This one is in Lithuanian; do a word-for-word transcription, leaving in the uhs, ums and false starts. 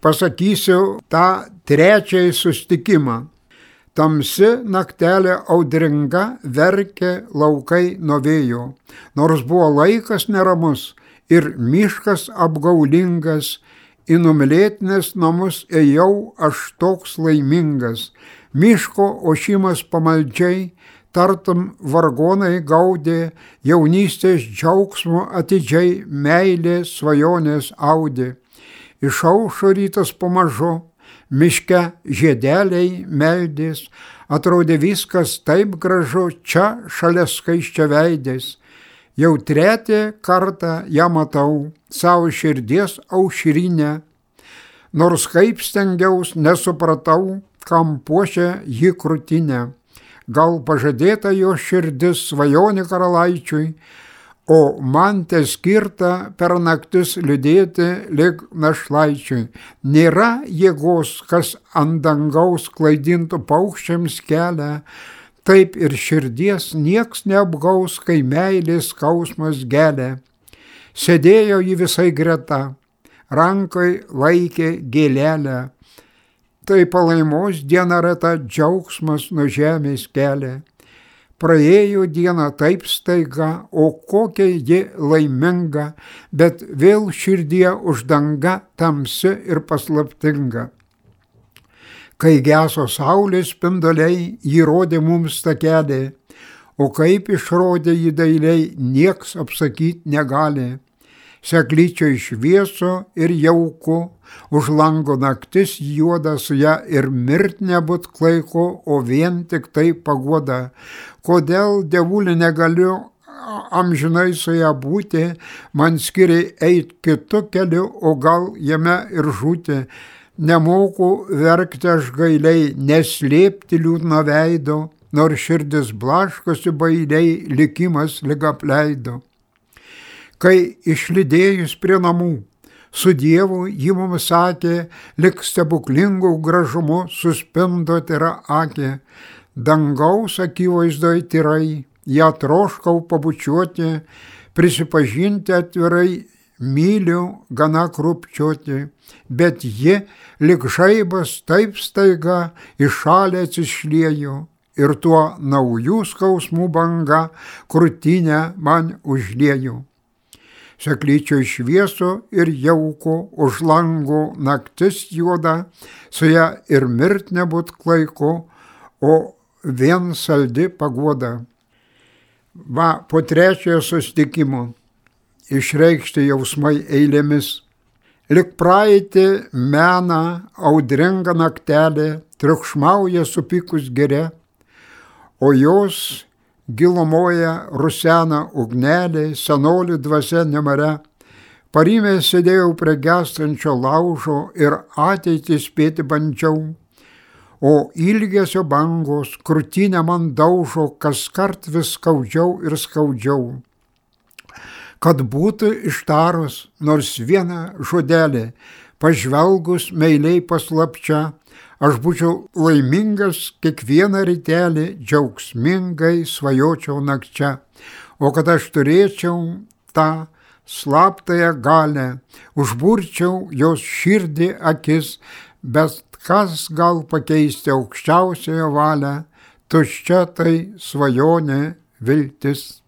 pasakysiu tą trečiąjį sustikimą. Tamsi naktelė audringa, verkė laukai nuo vėjo, nors buvo laikas neramus ir miškas apgaulingas, į numylėtinės namus ėjau aš toks laimingas. Miško ošimas pamaldžiai, tartum vargonai gaudė, jaunystės džiaugsmo atidžiai meilės svajonės audė. Išaušo rytas pamažu, miške žiedeliai meldės, atrodė viskas taip gražu, čia šalia skaisčia veidės. Jau trečią kartą ją matau, savo širdies aušrinę, nors kaip stengiaus nesupratau, kam puošia jį krūtinę. Gal pažadėta jo širdis svajonė karalaičiui, o man te skirta per naktis liūdėti lyg našlaičiui. Nėra jėgos, kas ant dangaus klaidintų paukščiams kelią, taip ir širdies nieks neapgaus, kai meilės skausmas gelia. Sėdėjo jį visai greta, rankai laikė gėlelę. Tai palaimos diena reta, džiaugsmas nuo žemės kelia. Praėjo diena taip staiga, o kokia ji laiminga, bet vėl širdie uždanga tamsi ir paslaptinga. Kai geso saulės spinduliai, jį rodė mums tą kelią, o kaip išrodė jį dailiai, nieks apsakyti negali. Seklyčio šviesu ir jauku, už lango naktis juoda su ją ir mirt nebūt klaiku, o vien tik tai paguoda. Kodėl, dievulį, negaliu amžinai su ją būti, man skiria eit kitu keliu, o gal jame ir žūti. Nemoku verkti aš gailiai, neslėpti liūdno veido, nors širdis blaškosi bailiai, likimas lyg apleido. Kai išlydėjus prie namų, su Dievu jį mums sakė, lyg stebuklingų gražumu suspindo tyra akė. Dangaus akivaizdoj tyrai, ją troškau pabučiuoti, prisipažinti atvirai, myliu gana krupčiuoti, bet ji, lyg žaibas taip staiga, į šalį atsišliejo ir tuo naujų skausmų banga krūtinę man užliejo. Seklyčio šviesu ir jauku, už langų naktis juoda, su ją ir mirt nebūt klaiku, o vien saldi paguoda. Va, po trečiojo susitikimo išreikšti jausmai eilėmis. Lik praeitį mena audringa naktelė, triukšmauja supykus giria, o jos gilumoje rusena ugnelė, senolių dvasia nemare. Parime sėdėjau prie gęstančio laužo ir ateitį spėti bandžiau, o ilgesio bangos krūtinę man daužo, kaskart vis skaudžiau ir skaudžiau. Kad būtų ištarus nors vieną žodelį, pažvelgus meiliai paslapčia, aš būčiau laimingas kiekvieną rytelį, džiaugsmingai svajočiau nakčia. O kad aš turėčiau tą slaptąją galę, užburčiau jos širdį akis, bet kas gal pakeisti aukščiausiojo valią, tuščia tai svajonė viltis.